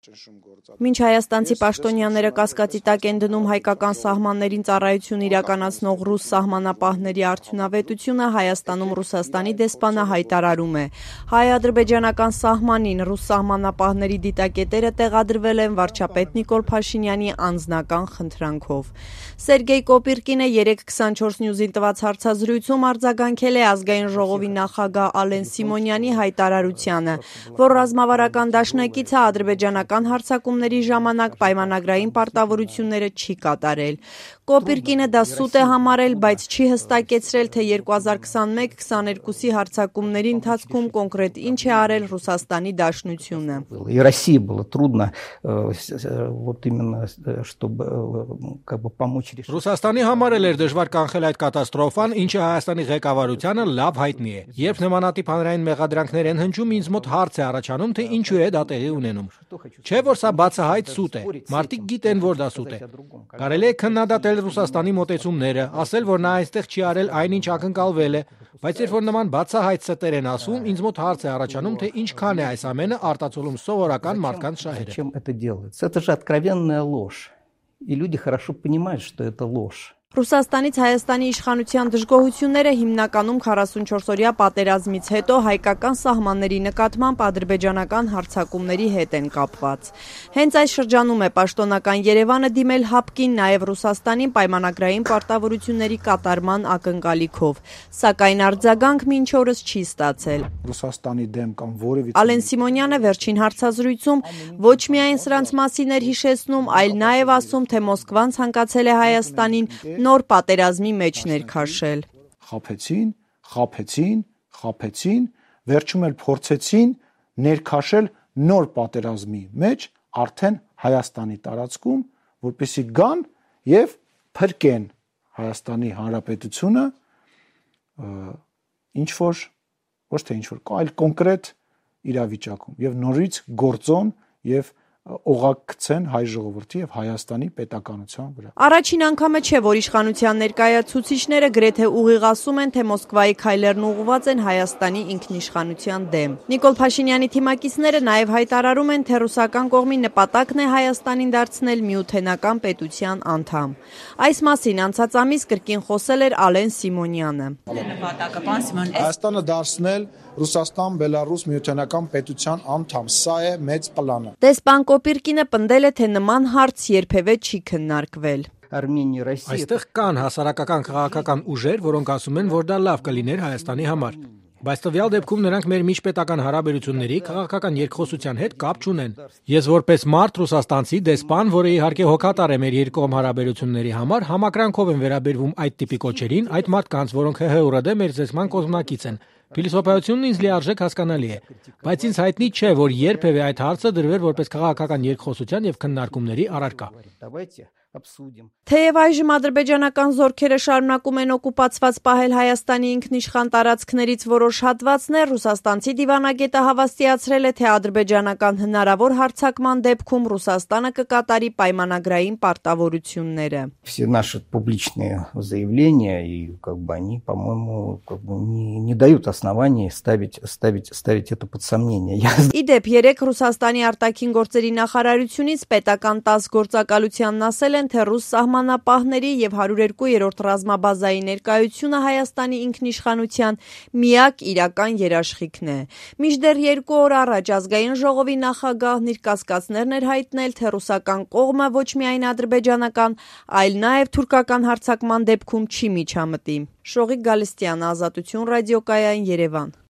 Մինչ հայաստանցի պաշտոնյաները կասկածի տակ են դնում հայկական սահմաններին ծառայություն իրականացնող ռուս սահմանապահների արդյունավետությունը, Հայաստանում Ռուսաստանի դեսպանը հայտարարում է. հայ-ադրբեջանական սահմանին ռուս սահմանապահների դիտակետերը տեղադրվել են վարչապետ Նիկոլ Փաշինյանի անձնական խնդրանքով։ Սերգեյ Կոպիրկինը 324 News-ին տված հարցազրույցում արձագանքել է Ազգային ժողովի նախագահ Ալեն Սիմոնյանի հայտարարությանը, որ ռազմավարական դաշնակիցը ադրբեջանական հարձակումների ժամանակ պայմանագրային պարտավորությունները չի կատարել։ Կոպիրկինը դա սուտ է համարել, բայց չի հստակեցրել, թե 2021-22-ի հարձակումների ընթացքում կոնկրետ ինչ է արել Ռուսաստանի Դաշնությունը։ И России было трудно вот именно чтобы как бы помочь решить. Ռուսաստանի համար էլ էր դժվար կանխել այդ կատաստրոֆան, ինչը Հայաստանի ղեկավարությանը լավ հայտնի է։ Երբ նմանատիպ հանրային մեղադրանքներ են հնչում, ինձ մոտ հարց է առաջանում, թե ինչու է դա տեղի ունենում։ Չէ՞ որ սա բացահայտ սուտ է։ Մարդիկ գիտեն, որ դա սուտ է։ Կարելի է քննադատել Ռուսաստանի մոտեցումները, ասել, որ նա այստեղ չի արել այնինչ ակնկալվել է, բայց երբ որ նման բացահայտ ստեր են ասում, ինձ մոտ հարց է առաջանում, թե ինչքան է այս ամենը արտացոլում սովորական մարդկանց շահերը։ Чем это делается? Это же откровенная ложь. И люди хорошо понимают, что это ложь. Ռուսաստանից Հայաստանի իշխանության դժգոհությունները հիմնականում 44-օրյա պատերազմից հետո հայկական սահմանների նկատմամբ ադրբեջանական հարձակումների հետ են կապված։ Հենց այս շրջանում է պաշտոնական Երևանը դիմել ՀԱՊԿ-ին նաև Ռուսաստանին պայմանագրային պարտավորությունների կատարման ակնկալիքով, սակայն արձագանք մինչ օրս չի ստացել։ Ռուսաստանի դեմ կամ որևէ Ալեն Սիմոնյանը վերջին հարցազրույցում ոչ միայն սրանց մասին էր հիշեցնում, այլ նաև ասում, թե Մոսկվան ցանկացել է Հայաստանին նոր պատերազմի մեջ ներքաշել։ Խաբեցին, վերջում էլ փորձեցին ներքաշել նոր պատերազմի մեջ արդեն Հայաստանի տարածքում, որպեսզի գան եւ փրկեն Հայաստանի Հանրապետությունը ոչ թե ինչ որ, այլ կոնկրետ իրավիճակում եւ նորից գործոն եւ օղակ գցեն հայ ժողովրդի եւ Հայաստանի պետականության վրա։ Առաջին անգամը չէ, որ իշխանության ներկայացուցիչները գրեթե ուղիղ ասում են, թե Մոսկվայի քայլերն ուղղված են Հայաստանի ինքնիշխանության դեմ։ Նիկոլ Փաշինյանի թիմակիցները նաև հայտարարում են, թե ռուսական կողմի նպատակն է Հայաստանին դարձնել միութենական պետության անդամ։ Այս մասին անցած ամիս կրկին խոսել էր Ալեն Սիմոնյանը։ Հայաստանը դարձնել Ռուսաստան-Բելարուս միութենական պետության անդամ, սա է մեծ պլանը։ Դեսպան Կոպիրկինը պնդել է, թե նման հարց երբևէ չի քննարկվել։ Այստեղ կան հասարակական քաղաքական ուժեր, որոնք ասում են, որ դա լավ կլիներ Հայաստանի համար։ Բայց տվյալ դեպքում նրանք մեր միջպետական հարաբերությունների քաղաքական երկխոսության հետ կապ չունեն։ Ես որպես մարդ ռուսաստանցի դեսպան, որը իհարկե հոգատար է մեր երկկողմ հարաբերությունների համար, համակրանքով եմ վերաբերվում այդ տիպի կոչերին, այդ մարդկանց, որոնք ՀՀ-ուրդ մեր զեսման կողմնակից են։ Փիլիսոփայությունն ինձ լիարժեք հասկանալի է, բայց ինձ հայտնի չէ, որ երբևէ այդ հարցը դրվեր որպես քաղաքական երկխոսության եւ քննարկումների առարկա։ Թեև այժմ ադրբեջանական զորքերը շարունակում են օկուպացված պահել Հայաստանի ինքնիշխան տարածքներից որոշ հատվածներ, ռուսաստանցի դիվանագետը հավաստիացրել է, թե ադրբեջանական հնարավոր հարձակման դեպքում Ռուսաստանը կկատարի պայմանագրային պարտավորությունները։ Все наши публичные заявления и они, по-моему, не дают оснований ставить это под сомнение. Իդեպ 3 Ռուսաստանի արտաքին գործերի նախարարությունից պետական 10 գործակալությանն ասել են, թե ռուս սահմանապահների եւ 102-րդ ռազմաբազայի ներկայությունը Հայաստանի ինքնիշխանության միակ իրական երաշխիքն է։ Մինչդեռ 2 օր առաջ Ազգային ժողովի նախագահն իր կասկածներն էր հայտնել, թե ռուսական կողմը ոչ միայն ադրբեջանական, այլ նաեւ թուրքական հարձակման դեպքում չի միջամտի։ Շողիկ Գալստյան, Ազատություն ռադիոկայան, Երևան։